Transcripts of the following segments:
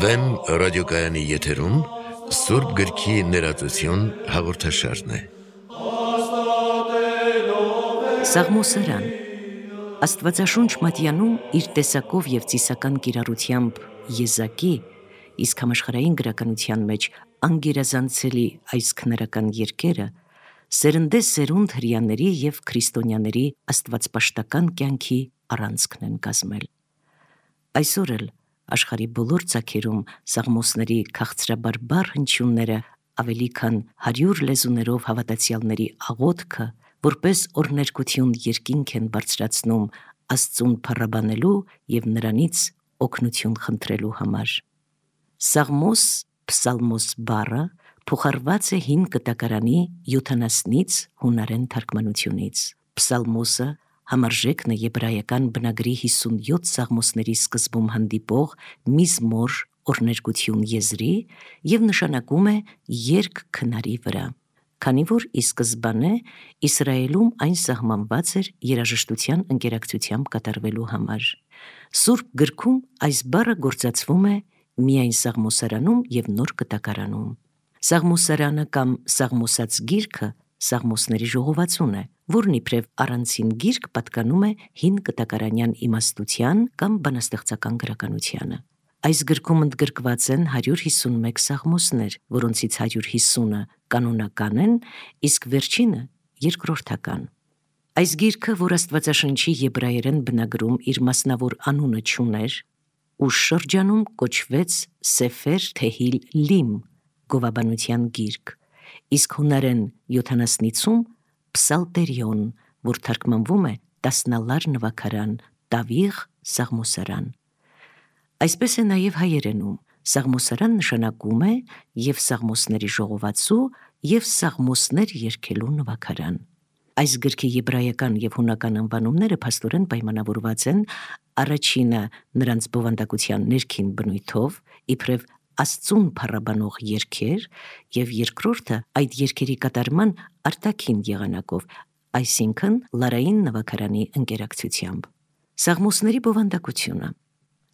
Վեմ ռադիոկայանի եթերում Սուրբ գրքի ներածություն հաղորդաշարն է։ Սաղմոսարան Աստվածաշունչ մատյանում իր տեսակով և ծիսական կիրառությամբ եզակի, իսկ համաշխարհային գրականության մեջ անգերազանցելի այս քնարական երկերը սերնդեսերունդ հրեաների և քրիստոնյաների աստվածպաշտական կյանքի առանցքն են կազմել։ Այսօր էլ աշխարհի բոլոր ծագերում սաղմոսների քաղցրաբարբար հնչյունները ավելի քան 100 լեզուներով հավատացյալների աղոթքը, որպես օրհներգություն երկինք են բարձրացնում Աստծուն փառաբանելու և նրանից օգնություն խնդրելու համար։ Սաղմոս, փսալմոս բառը փոխառված է հին կտակարանի 70-ից հունարեն թարգմանությունից։ Փսալմոսը համարժեքն է եբրայական բնագրի 57 սաղմոսների սկզբում հանդիպող միզմոր օրհներգություն եզրի և նշանակում է երգ քնարի վրա, քանի որ ի սկզբանե Իսրայելում այն սահմանված էր երաժշտության ընկերակցությամբ կատարվելու համար։ Սուրբ գրքում այս բառը գործածվում է միայն սաղմոսարանում և նոր կտակարանում։ Սաղմոսարանը կամ սաղմոսած գիրքը սաղմոսների ժողովածուն է, որն իբրև առանցին գիրք պատկանում է հին կտակարանյան իմաստության կամ բանաստեղծական գրականությանը։ Այս գրքում ընդգրկված են 151 սաղմոսներ, որոնցից 150-ը կանոնական են, իսկ վերջինը երկրորդական։ Այս գիրքը, որ Աստվածաշնչի եբրայերեն բնագրում իր մասնավոր անունը չուներ, ուշ շրջանում կոչվեց Սեֆեր Թեհիլ Լիմ, գովաբանության գիրք, իսկ հունարեն 70-ում Փսալտերիոն, որ թարգմանվում է տասնալար նվագարան, տավիղ սաղմոսարան։ Այսպես է նաև հայերենում, սաղմոսարան նշանակում է և սաղմոսների ժողովածու, և սաղմոսներ երգելու նվագարան։ Այս գրքի եբրայական և հունական անվանումները փաստորեն պայմանավորված են, առաջինը նրանց բովանդակության ներքին բնույթով, իբրև Աստծուն փառաբանող երգեր, և երկրորդը այդ երգերի կատարման արտաքին եղանակով, այսինքն լարային նվագարանի ընկերակցությամբ։ Սաղմոսների բովանդակությունը։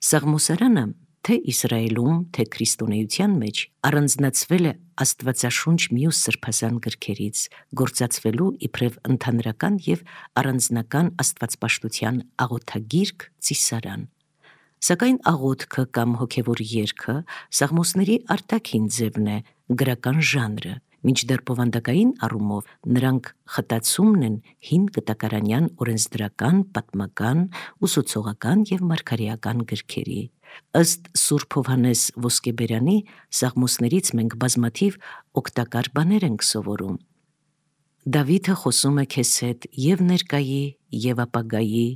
Սաղմոսարանը թե Իսրայելում, թե քրիստոնեության մեջ առանձնացվել է Աստվածաշունչ մյուս սրբազան գրքերից, գործածվելու իբրև ընդհանրական և առանձնական աստվածպաշտության աղոթագիրք, ծիսարան։ Սակայն աղոթքը կամ հոգևոր երգը սաղմոսների արտաքին ձևն է, գրական ժանրը, մինչդեռ բովանդակային առումով նրանք խտացումն են հին կտակարանյան օրենսդրական, պատմական, ուսուցողական և մարգարեական գրքերի։ Ըստ Սուրբ Հովհաննես Ոսկեբերյանի, սաղմոսներից մենք բազմաթիվ օգտակար բաներ ենք սովորում։ Դավիթը խոսում է քեզ հետ և ներկայի, և ապագայի,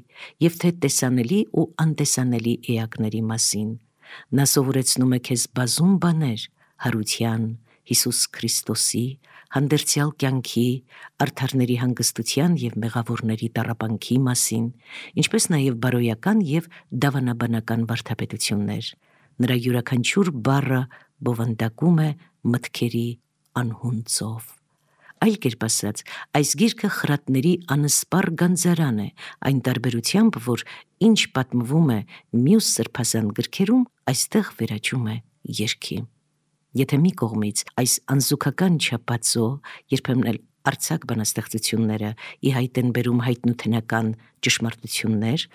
և թե տեսանելի ու անտեսանելի էակների մասին։ Նա սովորեցնում է քեզ բազում բաներ հարության, Հիսուս Քրիստոսի, հանդերձյալ կյանքի, արդարների հանգստության և մեղավորների տառապանքի մասին, ինչպես նաև բարոյական և դավանաբանական վարդապետություններ։ Նրա յուրաքանչյուր բառը բովանդակում է մտքերի անհուն ծով։ Այլ կերպ ասած, այս գիրքը խրատների անսպառ գանձարան է, այն տարբերությամբ, որ ինչ պատմվում է մյուս սրբազան գրքերում, այստեղ վերաճում է երգի։ Եթե մի կողմից այս անզուգական չափածո, երբեմն էլ արձակ բանաստեղծությունները ի հայտ են բերում հայտնութենական ճշմարտություններ,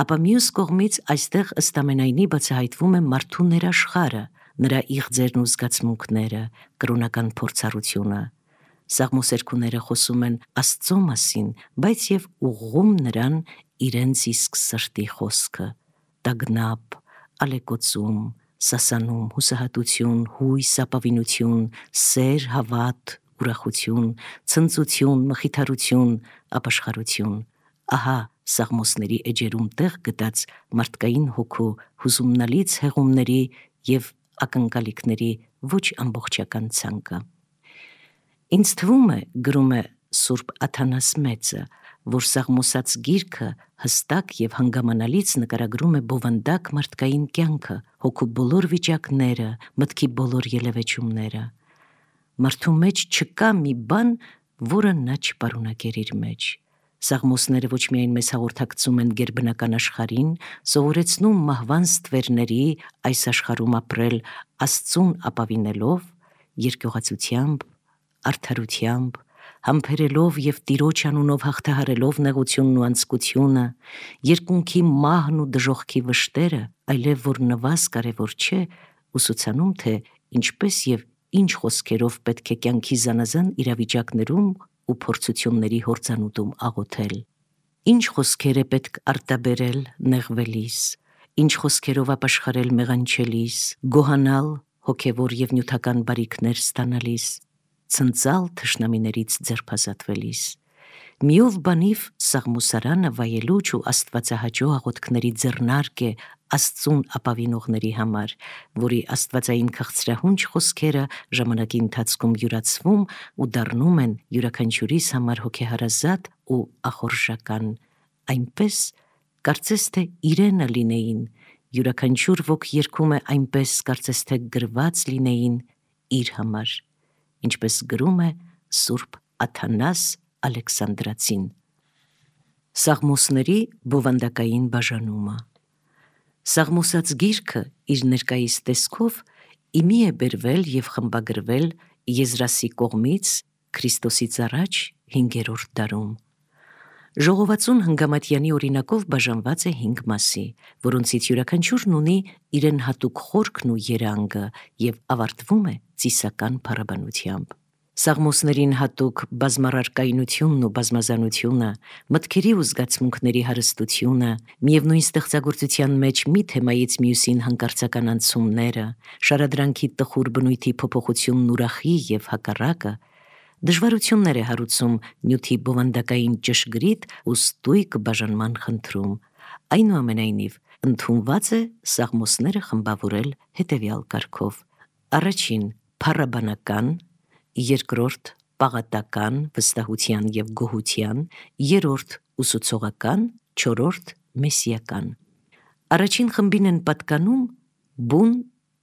ապա մյուս կողմից այստեղ ըստ ամենայնի բացահայտվում է մարդու ներաշխարը, նրա իղձերն ու զգացմունքները, կրոնական փորձառությունը։ Սաղմոսերգուները խոսում են Աստծո մասին, բայց և ուղղում նրան իրենց իսկ սրտի խոսքը՝ տագնապ, ալեկոծում, սասանում, հուսահատություն, հույս, ապավինություն, սեր, հավատ, ուրախություն, ցնծություն, մխիթարություն, ապաշխարություն։ Ահա սաղմոսների էջերում տեղ գտած մարդկային հոգու հուզումնալից հեղումների և ակնկալիքների ոչ ամբողջական ցանկը։ Ինձ թվում է, գրում է Սուրբ Աթանաս Մեծը, որ սաղմոսած գիրքը հստակ և հանգամանալից նկարագրում է բովանդակ մարդկային կյանքը, հոգու բոլոր վիճակները, մտքի բոլոր ելևէջումները։ Մարդու մեջ չկա մի բան, որը նա չպարունակեր իր մեջ։ Սաղմոսները ոչ միայն մեզ հաղորդակցում են գերբնական աշխարհին, սովորեցնում մահվան ստվերների այս աշխարհում ապրել Աստծուն ապավինելով, երկյուղացությամբ, արդարությամբ, համբերելով և Տիրոջ անունով հաղթահարելով նեղությունն ու անձկությունը, երկունքի մահն ու դժոխքի վշտերը, այլև որ նվազ կարևոր չէ, ուսուցանում, թե ինչպես և ինչ խոսքերով պետք է կյանքի զանազան իրավիճակներում ու փորձությունների հորձանուտում աղոթել, ինչ խոսքեր է պետք արտաբերել նեղվելիս, ինչ խոսքերով ապաշխարել մեղանչելիս, գոհանալ հոգևոր և նյութական բարիքներ ստանալիս, ցնծալ թշնամիներից ձերբազատվելիս, միով բանիվ Սաղմոսարանը վայելուչ ու աստվածահաճո աղոթքների ձեռնարկ է Աստծուն ապավինողների համար, որի աստվածային քաղցրահունչ խոսքերը ժամանակի ընթացքում յուրացվում ու դառնում են յուրաքանչյուրիս համար հոգեհարազատ ու ախորժական, այնպես, կարծես թե իրենը լինեին, յուրաքանչյուր ոք երգում է այնպես, կարծես թե գրված լինեին իր համար, ինչպես գրում է Սուրբ Աթանաս Ալեքսանդրացին։ Սաղմոսների բովանդակային բաժանումը։ Սաղմոսած գիրքը իր ներկայիս տեսքով իմի է բերվել և խմբագրվել Եզրասի կողմից Քրիստոսից առաջ 5-րդ դարում։ Ժողովածուն Հնգամատյանի օրինակով բաժանված է 5 մասի, որոնցից յուրաքանչյուրն ունի իրեն հատուկ խորքն ու երանգը և ավարտվում է ծիսական փառաբանությամբ։ Սաղմոսներին հատուկ բազմառարկայնությունն ու բազմազանությունը, մտքերի ու զգացմունքների հարստությունը, միևնույն ստեղծագործության մեջ մի թեմայից մյուսին հանկարծական անցումները, շարադրանքի տխուր բնույթի փոփոխությունն ուրախի և հակառակը, դժվարություններ է հարուցում նյութի բովանդակային ճշգրիտ ու ստույգ բաժանման խնդրում, այնուամենայնիվ ընդունված է սաղմոսները խմբավորել հետևյալ կարգով. առաջին փառաբանական, երկրորդ պաղատական, վստահության և գոհության, երրորդ ուսուցողական, չորրորդ մեսիական։ Առաջին խմբին են պատկանում բուն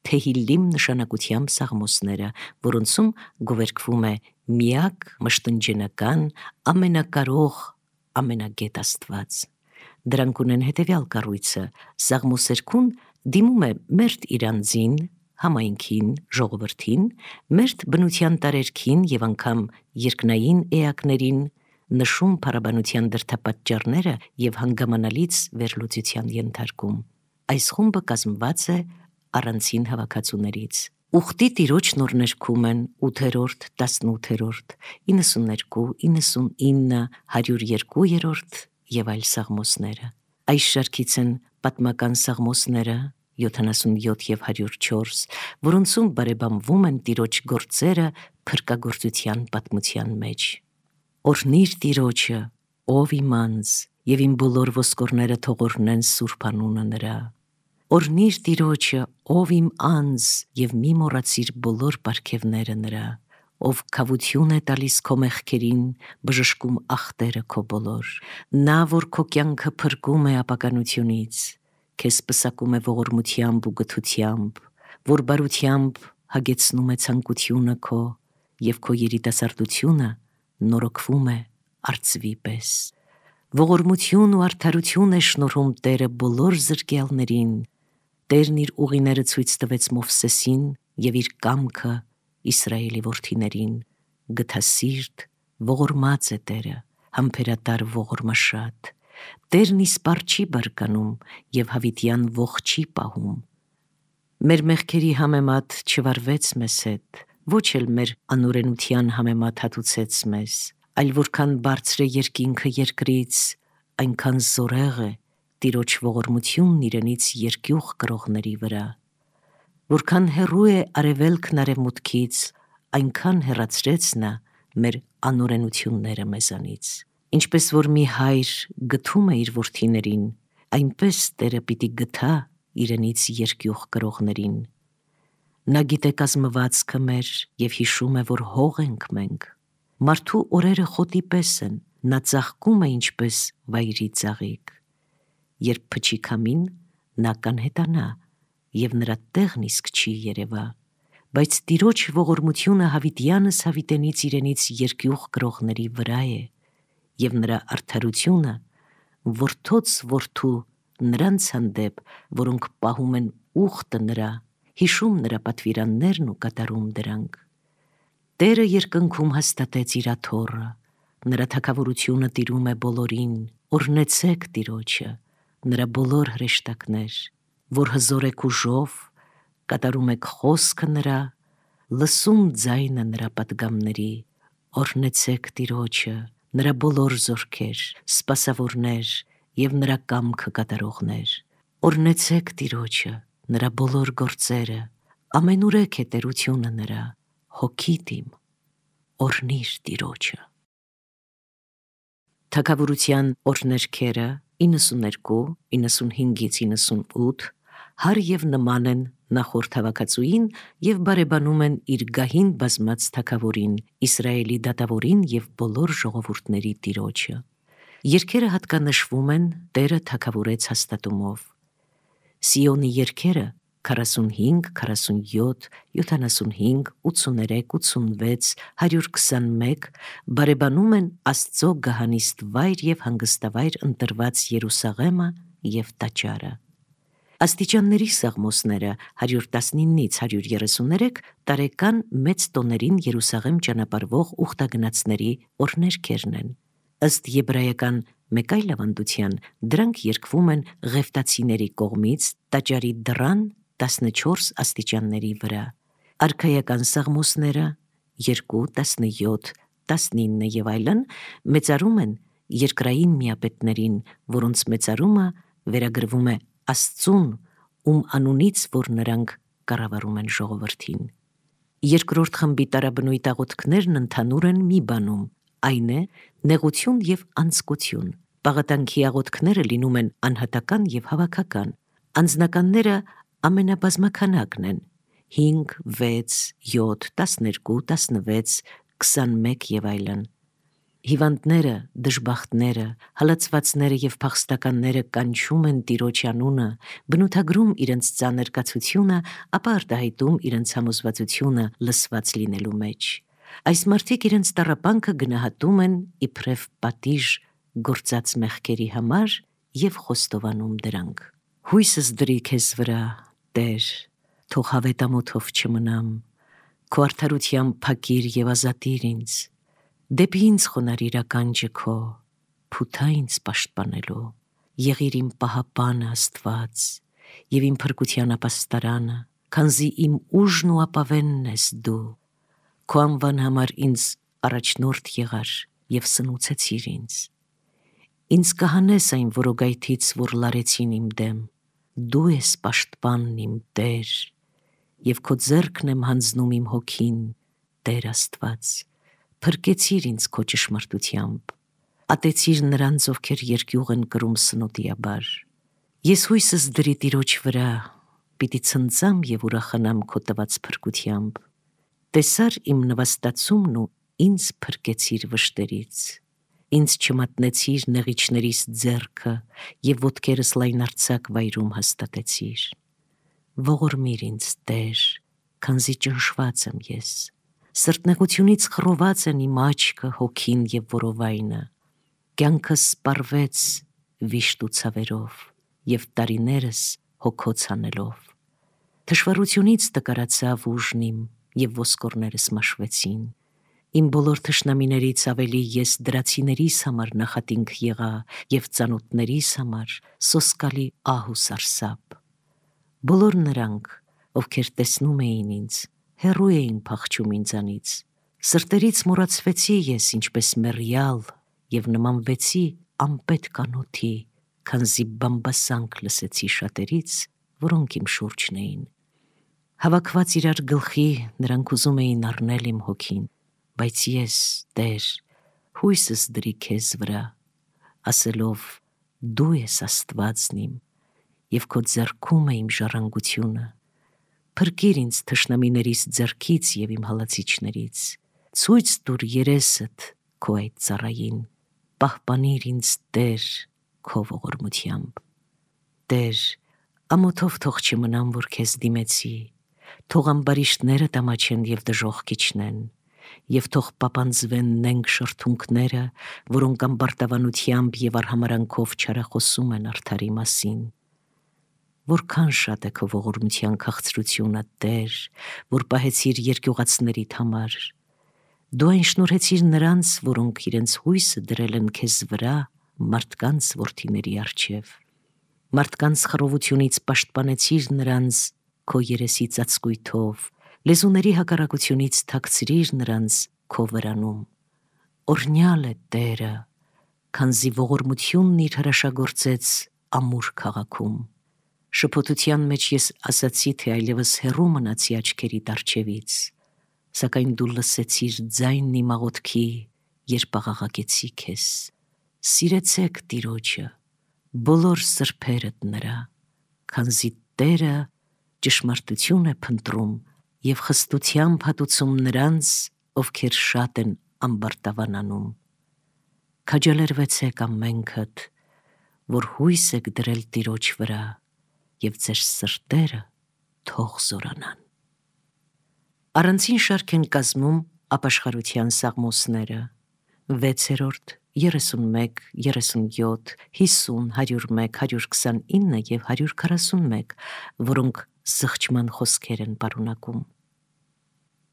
Թեհիլիմ նշանակությամբ սաղմոսները, որոնցում գովերգվում է միակ, մշտնջենական, ամենակարող, ամենագետ Աստված։ Դրանք ունեն հետևյալ կառույցը. սաղմոսերկուն դիմում է մերթ իր անձին, համայնքին, ժողովրդին, մերթ բնության տարերքին և անգամ երկնային էակներին, նշում փառաբանության դրդապատճառները և հանգամանալից վերլուծության ենթարկում։ Այս խումբը կազմված է առանցին հավաքածուներից։ Ուխտի Տիրոջ նորներգում են 8-րդ, 18-րդ, 92, 99, 102-րդ և այլ սաղմոսները։ Այս շարքից են պատմական սաղմոսները 77 և 104, որոնցում բարեբանվում են Տիրոջ գործերը փրկագործության պատմության մեջ։ Օրհնիր Տիրոջը, ով իմ անձ, և իմ բոլոր ոսկորները թող օրհնեն սուրբ անունը նրա։ Օրհնիր Տիրոջը, ով իմ անձ, և մի մոռացիր բոլոր պարգևները նրա, ով քավություն է տալիս քո մեղքերին, բժշկում ախտերը քո բոլոր, նա, որ քո կյանքը փրկում է ապականությունից, քեզ պսակում է ողորմությամբ ու գթությամբ, որ բարությամբ հագեցնում է ցանկությունը քո, և քո երիտասարդությունը նորոգվում է արծվի պես։ Ողորմություն ու արդարություն է շնորհում Տերը բոլոր զրկյալներին, Տերն իր ուղիները ցույց տվեց Մովսեսին և իր կամքը Իսրայելի որդիներին, գթասիրտ, ողորմած է Տերը, համբերատար ողորմաշատ, Տերն իսպառ չի բարկանում և հավիտյան ոխ չի պահում։ Մեր մեղքերի համեմատ չվարվեց մեզ հետ, ոչ էլ մեր անօրենության համեմատ հատուցեց մեզ, այլ որքան բարձր է երկինքը երկրից, այնքան զորեղ է Տիրոջ ողորմությունն իրենից երկյուղ կրողների վրա։ Որքան հեռու է արևելքն արևմուտքից, այնքան հեռացրեց նա մեր անօրենությունները մեզանից։ Ինչպես որ մի հայր գթում է իր որդիներին, այնպես Տերը պիտի գթա իրենից երկյուղ կրողներին։ Նա գիտե կազմվածքը մեր և հիշում է, որ հող ենք մենք։ Մարդու օրերը խոտի պես են, նա ծաղկում է ինչպես վայրի ծաղիկ։ Երբ փչի քամին, նա կանհետանա, և նրա տեղն իսկ չի երևա, բայց Տիրոջ ողորմությունը հավիտյանս հավիտենից իրենից երկյուղ կրողների վրա է, եւ նրա արդարությունը որդոց որդու նրանց հանդեպ, որոնք պահում են ուխտը նրա, հիշում նրա պատվիրաններն ու կատարում դրանք։ Տերը երկնքում հաստատեց իր աթոռը, նրա թագավորությունը տիրում է բոլորին, օրհնեցեք Տիրոջը, նրա բոլոր հրեշտակներ, որ հզոր եք ուժով, կատարում եք խոսքը նրա, լսում ձայնը նրա պատգամների, օրհնեցեք Տիրոջը, նրա բոլոր զորքեր, սպասավորներ եւ նրա կամքը կատարողներ, օրհնեցեք Տիրոջը, նրա բոլոր գործերը, ամենուրեք է տերությունը նրա, հոգիդ իմ, օրհնիր Տիրոջը։ Թագավորության օրհներգերը 92, 95-ից 98 հար եւ նման են նախորդ հավաքածուին եւ բարեբանում են իր գահին բազմած թագավորին, Իսրայելի դատավորին եւ բոլոր ժողովուրդների Տիրոջը։ Երգերը հատկանշվում են Տերը թագավորեց հաստատումով։ Սիոնի երգերը 45, 47, 75, 83, 86, 121 բարեբանում են Աստծո գահանիստ վայր եւ հանգստավայր ընտրված Երուսաղեմը եւ Տաճարը։ Աստիճանների սաղմոսները 119-ից 133 տարեկան մեծ տոներին Երուսաղեմ ճանապարհվող ուխտագնացների օրհներգերն են։ Ըստ եբրայական մեկ այլ ավանդության դրանք երգվում են ղևտացիների կողմից Տաճարի դռան 14 աստիճանների վրա։ Արքայական սաղմոսները 2, 17, 19 եւ այլն մեծարում են երկրային միապետներին, որոնց մեծարումը վերագրվում է Աստծուն, ում անունից, որ նրանք կառավարում են ժողովրդին։ Երկրորդ խմբի տարաբնույթ աղոթքներն ընդհանուր են մի բանում, այն է նեղություն եւ անձկություն։ Պաղատանքի աղոթքները լինում են անհատական եւ հավաքական։ Անձնականները ամենաբազմաքանակն են 5, 6, 7, 12, 16, 21 եւ այլն։ Հիվանդները, դժբախտները, հալածվածները եւ փախստականները կանչում են Տիրոջ անունը, բնութագրում իրենց ծանր կացությունը, ապա արտահայտում իրենց համոզվածությունը լսված լինելու մեջ։ Այս մարդիկ իրենց տառապանքը գնահատում են իբրև պատիժ գործած մեղքերի համար եւ խոստովանում դրանք։ Հույսս դրի քեզ վրա, Տեր, թող հավետամոթով չմնամ, քո արդարությամբ փակիր եւ ազատիր ինձ։ Դեպի ինձ խոնարհիր ականջը քո, փութա ինձ պաշտպանելու, եղիր իմ պահապանը Աստված եւ իմ փրկության ապաստարանը, քանզի իմ ուժն ու ապավենն ես դու, քո անվան համար ինձ առաջնորդ եղար եւ սնուցեցիր ինձ։ Ինձ կհանես այն որոգայթից, որ լարեցին իմ դեմ, դու ես պաշտպանն իմ Տեր, եւ քո ձեռքն եմ հանձնում իմ հոգին, Տեր Աստված, փրկեցիր ինձ քո ճշմարտությամբ, ատեցիր նրանց, ովքեր երկյուղ են կրում սնոտիաբար։ Ես հույսս դրի Տիրոջ վրա, պիտի ցնծամ եւ ուրախանամ քո տված փրկությամբ։ Տեսար իմ նվաստացումն ու ինձ փրկեցիր վշտերից։ Ինձ չմատնեցիր նեղիչներիս ձեռքը եւ ոտքերս լայնարձակ վայրում հաստատեցիր։ Ողորմիր ինձ, Տեր, քանզի ճնշված եմ ես։ Սրտնեղությունից խռոված են իմ աչքը, հոգին եւ որովայնը։ Կյանքս սպառվեց վիշտ ու ցավերով եւ տարիներս հոգոց անելով։ Թշվառությունից տկարացավ ուժն իմ եւ ոսկորներս մաշվեցին։ Իմ բոլոր թշնամիներից ավելի ես դրացիներիս համար նախատինք եղա եւ ծանոթներիս համար սոսկալի ահ ու սարսափ։ Բոլոր նրանք, ովքեր տեսնում էին ինձ, հեռու էին փախչում ինձանից։ Սրտերից մոռացվեցի ես ինչպես մեռյալ եւ նմանվեցի անպետք կանոթի, քանզի բամբասանք լսեցի շատերից, որոնք իմ շուրջն էին։ Հավաքված իրար գլխի նրանք ուզում էին առնել իմ հոգին, բայց ես, Տեր, հույսս դրի քեզ վրա, ասելով դու ես Աստվածն իմ եւ քո ձեռքում է իմ ժառանգությունը։ Փրկիր ինձ թշնամիներիս ձեռքից եւ իմ հալածիչներից, ցույց տուր երեսդ քո այդ ծառային, պահպանիր ինձ Տեր քո ողորմությամբ։ Տեր, ամոթով թող չմնամ, որ քեզ դիմեցի, թող ամբարիշտները տամաչեն եւ դժոխք իջնեն, եւ թող պապանձվեն նենք շրթունքները, որոնք ամբարտավանությամբ եւ արհամարանքով չարախոսում են արդարի մասին։ Որքան շատ է քո ողորմության քաղցրությունը, Տեր, որ պահեցիր երկյուղացներիդ համար։ Դու այն շնորհեցիր նրանց, որոնք իրենց հույսը դրել են քեզ վրա, մարդկանց որդիների առջև։ Մարդկանց խռովությունից պաշտպանեցիր նրանց քո երեսի ծածկույթով, լեզուների հակառակությունից թաքցրիր նրանց քո վրանում։ Օրհնյալ է Տերը, քանզի ողորմությունն իր հրաշագործեց ամուր քաղաքում։ Շփոթության մեջ ես ասացի, թե այլևս հեռու մնացի աչքերիդ առջևից, սակայն դու լսեցիր ձայնն իմ աղոթքի, երբ աղաղակեցի քեզ։ Սիրեցեք Տիրոջը, բոլոր սրբերդ նրա, քանզի Տերը ճշմարտություն է փնտրում եւ խստությամբ հատուցում նրանց, ովքեր շատ են ամբարտավանանում։ Քաջալերվեցեք ամենքդ, որ հույս եք դրել Տիրոջ վրա, եւ ձեր սրտերը թող զորանան։ Առանցին շարք են կազմում ապաշխարության սաղմոսները՝ 6-րդ, 31, 37, 50, 101, 129 եւ 141, որոնք զղջման խոսքեր են պարունակում։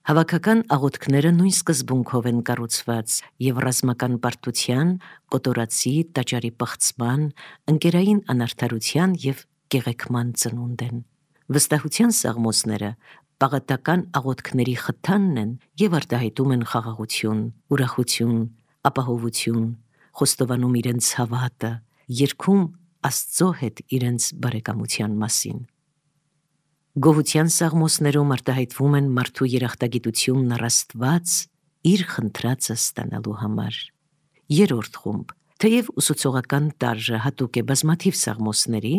Հավաքական աղոթքները նույն սկզբունքով են կառուցված եւ ռազմական պարտության, կոտորածի, տաճարի պղծման, ընկերային անարդարության եւ գեղեցման ծնունդ են։ Վստահության սաղմոսները պաղատական աղոթքների խթանն են եւ արտահայտում են խաղաղություն, ուրախություն, ապահովություն, խոստովանում իրենց հավատը, երգում Աստծո հետ իրենց բարեկամության մասին։ Գոհության սաղմոսներում արտահայտվում են մարդու երախտագիտությունն առ Աստված իր խնդրածը ստանալու համար։ Երրորդ խումբ, թեև ուսուցողական տարրը հատուկ է բազմաթիվ սաղմոսների,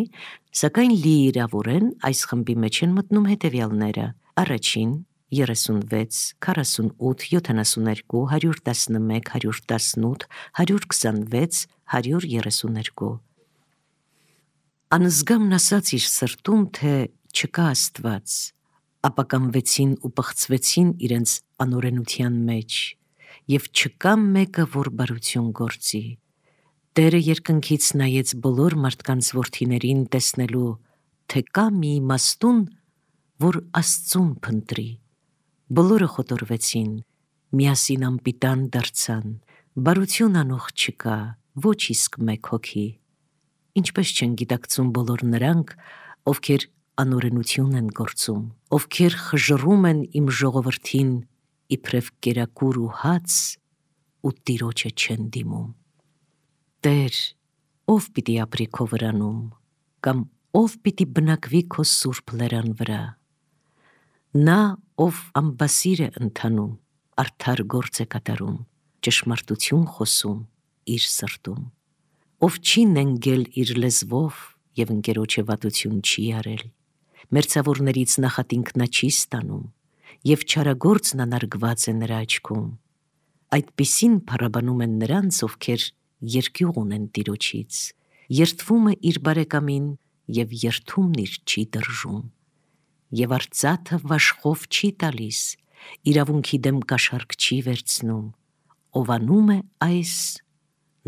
սակայն լիիրավորեն այս խմբի մեջ են մտնում հետևյալները՝ առաջին 36, 48, 72, 111, 118, 126, 132։ Անզգամն ասաց իր սրտում, թե չկա Աստված, ապա կամվեցին ու պղծվեցին իրենց անօրենության մեջ, եւ չկա մեկը, որ բարություն գործի։ Տերը երկնքից նայեց բոլոր մարդկանց որդիներին տեսնելու, թե կա մի իմաստուն, որ Աստծուն փնտրի։ Բոլորը խոտորվեցին, միասին անպիտան դարձան, բարություն անող չկա, ոչ իսկ մեկ հոգի։ Ինչպես չեն գիտակցում բոլոր նրանք, ովքեր անօրենություն են գործում, ովքեր խժռում են իմ ժողովրդին, իբրև կերակուր ու հաց, ու Տիրոջը չեն դիմում։ Տեր, ով պիտի ապրի քո վրանում, կամ ով պիտի բնակվի քո սուրբ լերան վրա։ Նա, ով ամբասիր է ընթանում, արդար գործ է կատարում, ճշմարտություն խոսում իր սրտում, ով չի նենգել իր լեզվով եւ ընկերոջը վատություն չի արել, մերձավորներից նախատինք նա չի ստանում, եւ չարագործն անարգված է նրա աչքում։ Այդպիսին փառաբանում են նրանց, ովքեր երկյուղ ունեն Տիրոջից, երդվում է իր բարեկամին եւ երդումն իր չի դրժում, եւ արծաթը վաշխով չի տալիս, իրավունքի դեմ կաշառք չի վերցնում, ով անում է այս,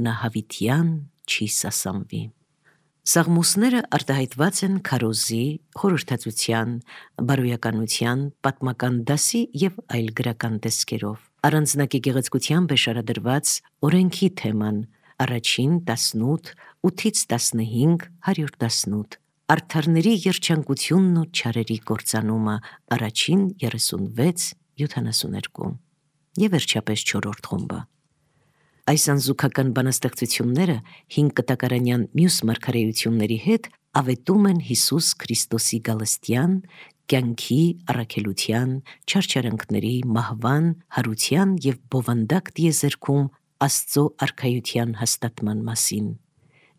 նա հավիտյան չի սասանվի։ Սաղմոսները արտահայտված են քարոզի, խորհրդածության, բարոյականության, պատմական դասի եւ այլ գրական տեսքերով։ Առանձնակի գեղեցկությամբ է շարադրված օրենքի թեման, առաջին 18, 8-ից 15, 118, արդարների երջանկությունն ու չարերի կործանումը, առաջին 36, 72 եւ վերջապես 4-րդ խումբը։ Այս անզուգական բանաստեղծությունները 5 կտակարանյան մյուս մարգարեությունների հետ ավետում են Հիսուս Քրիստոսի գալստյան, կյանքի, առաքելության, չարչարանքների, մահվան, հարության եւ բովանդակ տիեզերքում Աստծո արքայության հաստատման մասին։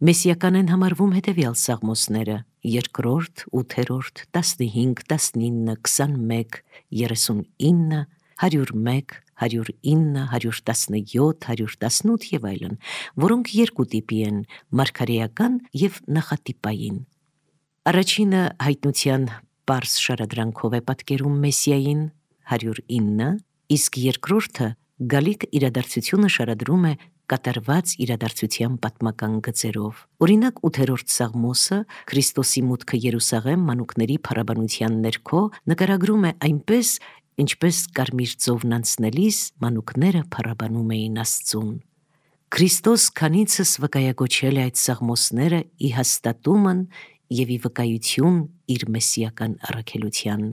Մեսիական են համարվում հետևյալ սաղմոսները՝ 2-րդ, 8-րդ, 15, 19, 21, 39, 101, 109, 117, 118 եւ այլն, որոնք երկու տիպի են՝ մարգարեական եւ նախատիպային։ Առաջինը հայտնության պարզ շարադրանքով է պատկերում Մեսիային, 109, իսկ երկրորդը գալիք իրադարձությունը շարադրում է կատարված իրադարձության պատմական գծերով։ Օրինակ 8-րդ Սաղմոսը Քրիստոսի մուտքը Երուսաղեմ մանուկների փառաբանության ներքո նկարագրում է այնպես, ինչպես կարմիր ծովն անցնելիս մանուկները փառաբանում էին Աստծուն։ Քրիստոս քանիցս վկայակոչել է այդ սաղմոսները ի հաստատումն և ի վկայություն իր մեսիական առաքելության։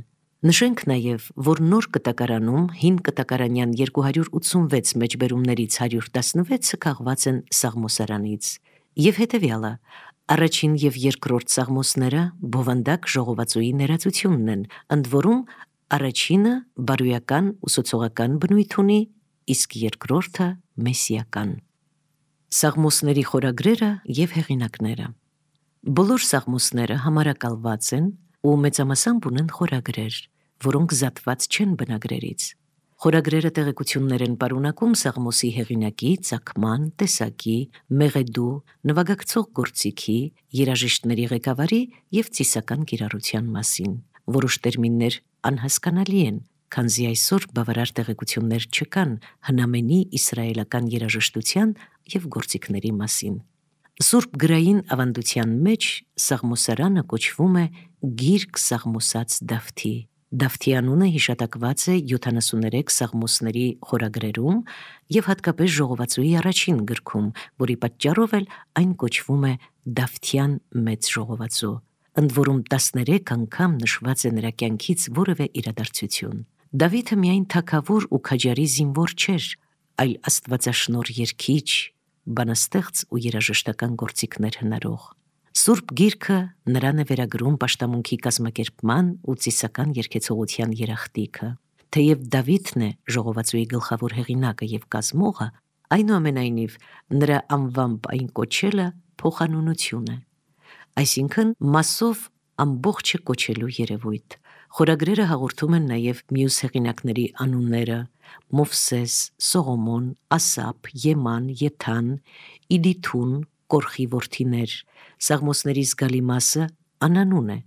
Նշենք նաև, որ նոր կտակարանում հին կտակարանյան 286 մեջբերումներից 116-ը քաղված են Սաղմոսարանից, և հետևյալը. առաջին և երկրորդ Սաղմոսները բովանդակ ժողովածուի ներածությունն են, ընդ որում առաջինը բարոյական ուսուցողական բնույթ ունի, իսկ երկրորդը մեսիական։ Սաղմոսների խորագրերը և հեղինակները։ Բոլոր սաղմոսները համարակալված են ու մեծամասամբ ունեն խորագրեր, որոնք զատված չեն բնագրերից։ Խորագրերը տեղեկություններ են պարունակում սաղմոսի հեղինակի, ծագման, տեսակի, մեղեդու, նվագակցող գործիքի, երաժիշտների ղեկավարի և ծիսական կիրառության մասին։ Որոշ տերմիններ անհասկանալի են, քանզի այսօր բավարար տեղեկություններ չկան հնամենի իսրայելական երաժշտության և գործիքների մասին։ Սուրբ գրային ավանդության մեջ Սաղմոսարանը կոչվում է Գիրք սաղմոսած Դավթի։ Դավթի անունը հիշատակված է 73 սաղմոսների խորագրերում և հատկապես ժողովածուի առաջին գրքում, որի պատճառով էլ այն կոչվում է Դավթյան մեծ ժողովածու, ընդ որում 13 անգամ նշված է նրա կյանքից որևէ իրադարձություն։ Դավիթը միայն թագավոր ու քաջարի զինվոր չէր, այլ աստվածաշնորհ երգիչ, բանաստեղծ ու երաժշտական գործիքներ հնարող։ Սուրբ Գիրքը նրան է վերագրում պաշտամունքի կազմակերպման ու ծիսական երգեցողության երախտիկը։ Թեև Դավիթն է ժողովածուի գլխավոր հեղինակը և կազմողը, այնուամենայնիվ նրա անվամբ այն կոչելը փոխանունություն է, այսինքն մասով ամբողջը կոչելու երևույթ։ Խորագրերը հաղորդում են նաև մյուս հեղինակների անունները՝ Մովսես, Սողոմոն, Ասապ, Եման, Եթան, Իդիթուն, Կորխի որդիներ։ Սաղմոսների զգալի մասը անանուն է,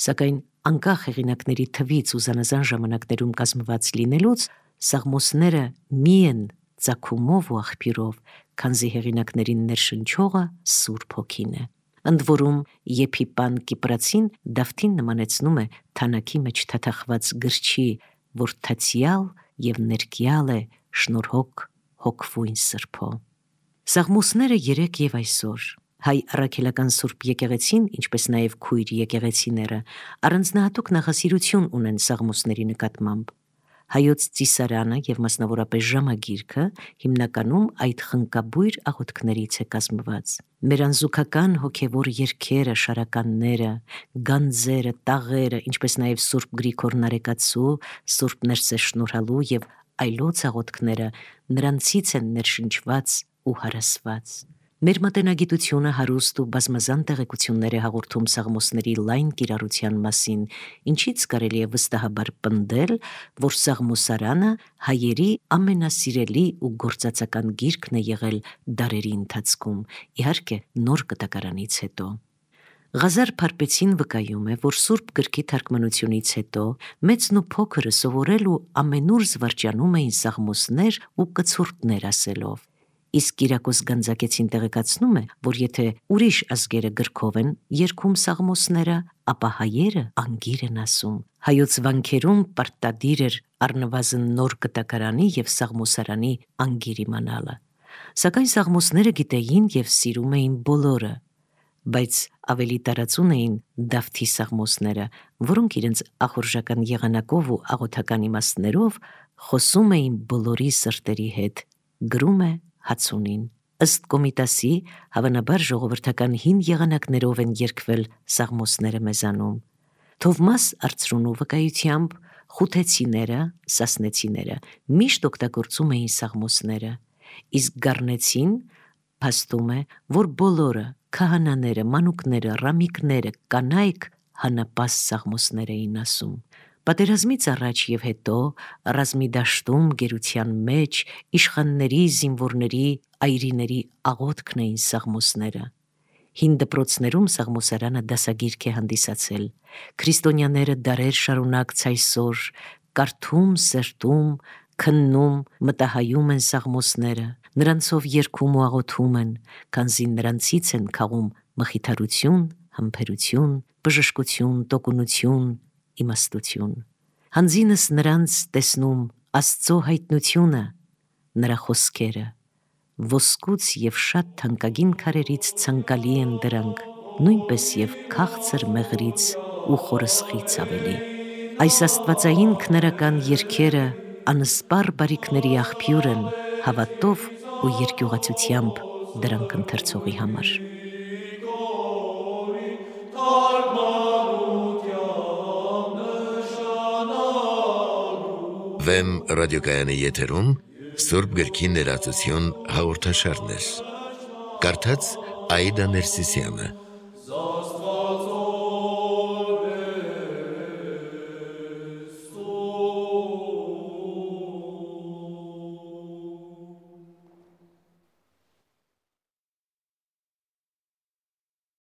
սակայն անկախ հեղինակների թվից ու զանազան ժամանակներում կազմված լինելուց, սաղմոսները մի են ծագումով ու աղբյուրով, քանզի հեղինակներին ներշնչողը Սուրբ Հոգին է։ Ընդ որում Եփիպան Կիպրացին Դավթին նմանեցնում է թանաքի մեջ թաթախված գրչի, որ թացյալ և ներկյալ է շնորհոք հոգվույն Սրբո։ Սաղմոսները երեք և այսօր հայ առաքելական Սուրբ եկեղեցին, ինչպես նաև քույր եկեղեցիները, առանձնահատուկ նախասիրություն ունեն սաղմոսների նկատմամբ։ Հայոց ծիսարանը և մասնավորապես ժամագիրքը հիմնականում այդ խնկաբույր աղոթքներից է կազմված։ Մեր անզուգական հոգևոր երգերը, շարականները, գանձերը, տաղերը, ինչպես նաև Սուրբ Գրիգոր Նարեկացու, Սուրբ Ներսես Շնորհալու և այլոց աղոթքները նրանցից են ներշնչված ու հարասված։ Մեր մատենագիտությունը հարուստ ու բազմազան տեղեկություններ է հաղորդում սաղմոսների լայն կիրառության մասին, ինչից կարելի է վստահաբար պնդել, որ Սաղմոսարանը հայերի ամենասիրելի ու գործածական գիրքն է եղել դարերի ընթացքում, իհարկե նոր կտակարանից հետո։ Ղազար Փարպեցին վկայում է, որ Սուրբ գրքի թարգմանությունից հետո մեծն ու փոքրը սովորել ու ամենուր զվարճանում էին սաղմոսներ ու կցորդներ ասելով։ Իսկ Կիրակոս Գանձակեցին տեղեկացնում է, որ եթե ուրիշ ազգերը գրքով են երգում սաղմոսները, ապա հայերը անգիր են ասում։ Հայոց վանքերում պարտադիր էր առնվազն նոր կտակարանի և սաղմոսարանի անգիր իմանալը։ Սակայն սաղմոսները գիտեին և սիրում էին բոլորը, բայց ավելի տարածուն էին Դավթի սաղմոսները, որոնք իրենց ախորժական եղանակով ու աղոթական իմաստներով խոսում էին բոլորի սրտերի հետ, գրում է Հացունին։ Ըստ Կոմիտասի, հավանաբար ժողովրդական հին եղանակներով են երգվել սաղմոսները մեզանում։ Թովմաս Արծրունու վկայությամբ խութեցիները, սասնեցիները միշտ օգտագործում էին սաղմոսները, իսկ գառնեցին փաստում է, որ բոլորը քահանաները, մանուկները, ռամիկները, կանայք հանապաս սաղմոսներ էին ասում։ Պատերազմից առաջ և հետո ռազմի դաշտում, գերության մեջ, իշխանների, զինվորների, այրիների աղոթքն էին սաղմոսները։ Հին դպրոցներում սաղմոսարանը դասագիրք է հանդիսացել։ Քրիստոնյաները դարեր շարունակ ցայսօր կարդում, սերտում, քննում, մտահայում են սաղմոսները, նրանցով երգում ու աղոթում են, քանզի նրանցից են քաղում մխիթարություն, համբերություն, բժշկություն, տոկունություն, իմաստություն։ Հանձինս նրանց տեսնում Աստծո հայտնությունը, նրա խոսքերը, ոսկուց և շատ թանկագին քարերից ցանկալի են դրանք, նույնպես և քաղցր մեղրից ու խորսխից ավելի։ Այս աստվածային քնարական երգերը անսպառ բարիքների աղբյուր են հավատով ու երկյուղացությամբ դրանք ընթերցողի համար։ Վեմ ռադիոկայանի եթերում Սուրբ գրքի ներածություն հաղորդաշարներ։ Կարդաց Աիդա Ներսիսյանը։